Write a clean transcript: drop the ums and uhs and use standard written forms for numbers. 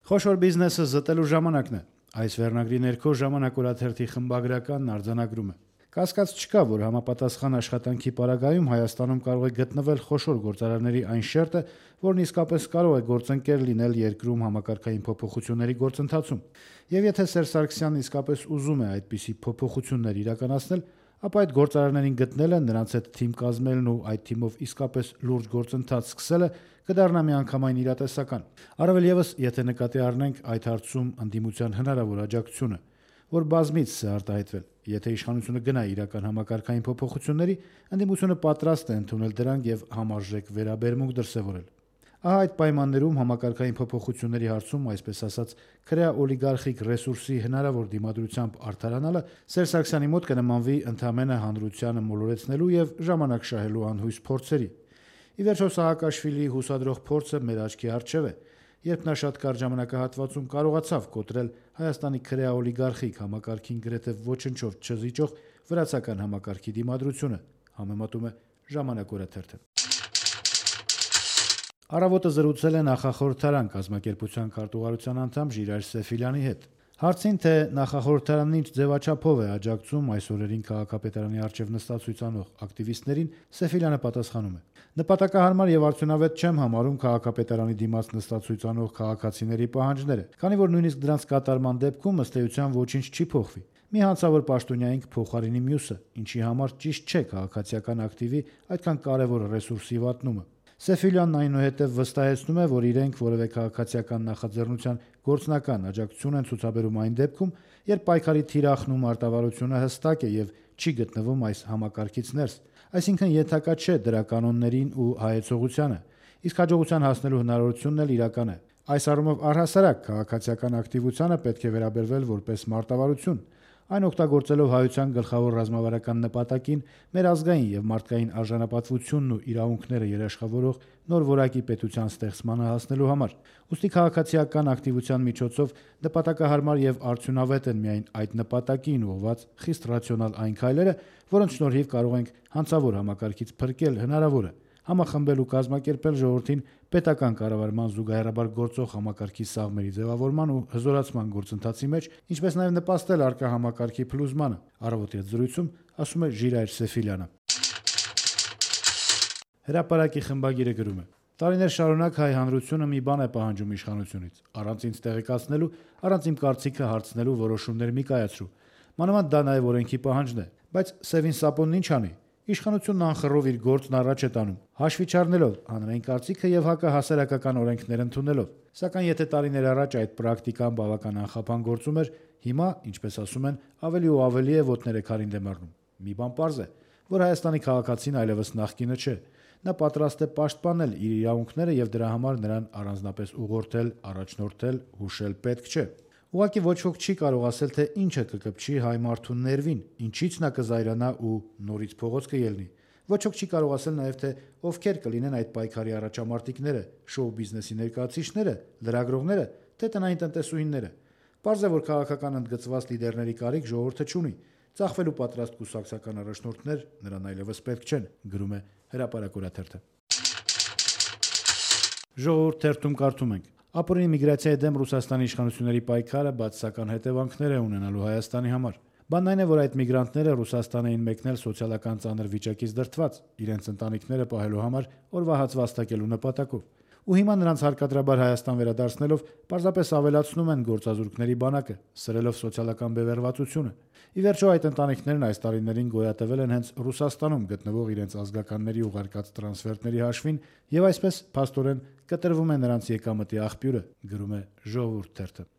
Խոշոր բիզնեսը զտելու ժամանակն է։ Այս վերնագրի ներքո Ժամանակ օրաթերթի խմբագրականն արձանագրում է. Կասկած չկա, որ համապատասխան աշխատանքի պարագայում Հայաստանում կարող է գտնվել խոշոր գործարանների այն շերտը, որն իսկապես կարող է գործընկեր լինել երկրում համակարգային փոփոխությունների գործընթացում։ Եվ եթե Սերժ Սարգսյանն իսկապես ուզում է այդպիսի փոփոխություններ իրականացնել, ապա այդ գործարաններին գտնելը, նրանց հետ թիմ կազմելն ու այդ թիմով իսկապես լուրջ գործընթաց սկսելը կդառնա միանգամայն իրատեսական։ Առավել ևս, եթե նկատի առնենք այդ հարցում ընդդիմության հնարավոր աջակցությունը, որ բազմից է արտահայտվել։ Եթե իշխանությունը գնա իրական համակարգային փոփոխությունների, ընդդիմությունը պատրաստ է ընդունել դրանք եւ համարժեք վերաբերմունք դրսեւորել։ Ահա այդ պայմաններում համակարգային փոփոխությունների հարցում, այսպես ասած, քրեա-օլիգարխիկ ռեսուրսի հնարավոր դիմադրությամբ արդարանալը Սերժ Սարգսյանի մոտ կնմանվի ընդհանրապես հանրությանը մոլորեցնելու եւ ժամանակ շահելու անհույս փորձերի։ Ի վերջո Սաակաշվիլիի հուսադրող փորձը մեր աչքի առջև է, երբ նա շատ կարճ ժամանակահատվածում կարողացավ կոտրել Հայաստանի քրեա-օլիգարխիկ համակարգին գրեթե ոչնչով չզիջող վրացական համակարգի դիմադրությունը, համեմատում է Ժամանակ օրաթերթը։ Առավոտը զրուցել է նախախորհրդարան կազմակերպության քարտուղարության անդամ Ժիրայր Սեֆիլյանի հետ։ Հարցին, թե նախախորհրդարանն ինչ ձևաչափով է աջակցում այս օրերին քաղաքապետարանի առջև նստածույց անող ակտիվիստներին, Սեֆիլյանը պատասխանում է. Նպատակահարմար եւ արդյունավետ չեմ համարում քաղաքապետարանի դիմաց նստածույց անող քաղաքացիների պահանջները, քանի որ նույնիսկ դրանց կատարման դեպքում ըստ էության ոչինչ չի փոխվի։ Մի հանցավոր պաշտոնյային կփոխարինի մյուսը, ինչի համար ճիշտ չէ քաղաքացիական ակտիվի այդքան կարևոր ռեսուրսի վատնումը։ Սեֆիլյանն այնուհետև վստահեցնում է, որ իրենք որևէ քաղաքացիական նախաձեռնության գործնական աջակցություն են ցուցաբերում այն դեպքում, երբ պայքարի թիրախն ու մարտավարությունը հստակ է եւ չի գտնվում այս համակարգից ներս, այսինքն ենթակա չէ դրա կանոններին ու հայեցողությանը, իսկ հաջողության հասնելու հնարավորությունն էլ իրական է։ Այս առումով առհասարակ քաղաքացիական ակտիվությանը պետք է վերաբերվել որպես մարտավարություն, այն օգտագործելով հայության գլխավոր ռազմավարական նպատակին մեր ազգային եւ մարդկային արժանապատվությունն ու իրավունքները երաշխավորող նոր որակի պետության ստեղծմանը հասնելու համար։ Ուստի քաղաքացիական ակտիվության միջոցով նպատակահարմար եւ արդյունավետ են միայն այդ նպատակին ուղղված խիստ ռացիոնալ այն քայլերը, որոնց շնորհիվ կարող ենք հանցավոր համակարգից փրկել հնարավորը, համախմբել ու կազմակերպել ժողովրդին պետական կառավարման զուգահեռաբար գործող համակարգի սաղմերի ձևավորման ու հզորացման գործընթացի մեջ, ինչպես նաև նպաստել առկա համակարգի փլուզմանը, առավոտի հետ զրույցում ասում է Ժիրայր Սեֆիլյանը։ Հրապարակի խմբագիրը գրում է. տարիներ շարունակ հայ հանրությունը մի բան է պահանջում իշխանությունից. առանց ինձ տեղեկացնելու, առանց իմ կարծիքը հարցնելու որոշումներ մի կայացրու։ Մանավանդ դա նաև օրենքի պահանջն է, բայց Սևին Սապոնն ինչ անի։ Իշխանությունն անխռով իր գործն առաջ է տանում, հաշվի չառնելով հանրային կարծիքը եւ հակահասարակական օրենքներ ընդունելով։ Սակայն եթե տարիներ առաջ այդ պրակտիկան բավական անխափան գործում էր, հիմա, ինչպես ասում են, ավելի ու ավելի է ոտները քարին դեմ առնում։ Մի բան պարզ է, որ Հայաստանի քաղաքացին այլևս նախկինը չէ։ Նա պատրաստ է պաշտպանել իր իրավունքները եւ դրա համար նրան առանձնապես ուղղորդել, առաջնորդել, հուշել պետք չէ։ Ուղղակի ոչ ոք չի կարող ասել, թե ինչը կկպչի հայ մարդու ներվին, ինչից նա կզայրանա ու նորից փողոց կելնի։ Ոչ ոք չի կարող ասել նաև, թե ովքեր կլինեն այդ պայքարի առաջամարտիկները, շոու բիզնեսի ներկայացուցիչները, լրագրողները, թե տնային տնտեսուհիները։ Պարզ է, որ քաղաքական ընդգծված լիդերների կարիք ժողովուրդը չունի։ Ծախվելու պատրաստ կուսակցական առաջնորդներ նրան այլևս պետք չեն, գրում է Հրապարակ օրաթերթը։ Ժողովուրդ թերթում կարդում ենք. ապօրինի միգրացիայի դեմ Ռուսաստանի իշխանությունների պայքարը բացասական հետևանքներ է ունենալու Հայաստանի համար։ Բանն այն է, որ այդ միգրանտները Ռուսաստան էին մեկնել սոցիալական ծանր վիճակից դրդված, իրենց ընտանիքները պահելու համար օրվա հաց վաստակելու նպատակով։ Ու հիմա նրանց հարկադրաբար Հայաստան վերադարձնելով պարզապես ավելացնում են գործազուրկների բանակը, սրելով սոցիալական բևեռվածությունը։ Ի վերջո այդ ընտանիքներն այս տարիներին գոյատևել են հենց Ռուսաստանում գտնվող իրենց ազգականների ուղարկած տրանսֆերտների հաշվին եւ այսպես փաստորեն կտրվում է նրանց եկամտի աղբյուրը, գրում է Ժողովուրդ թերթը։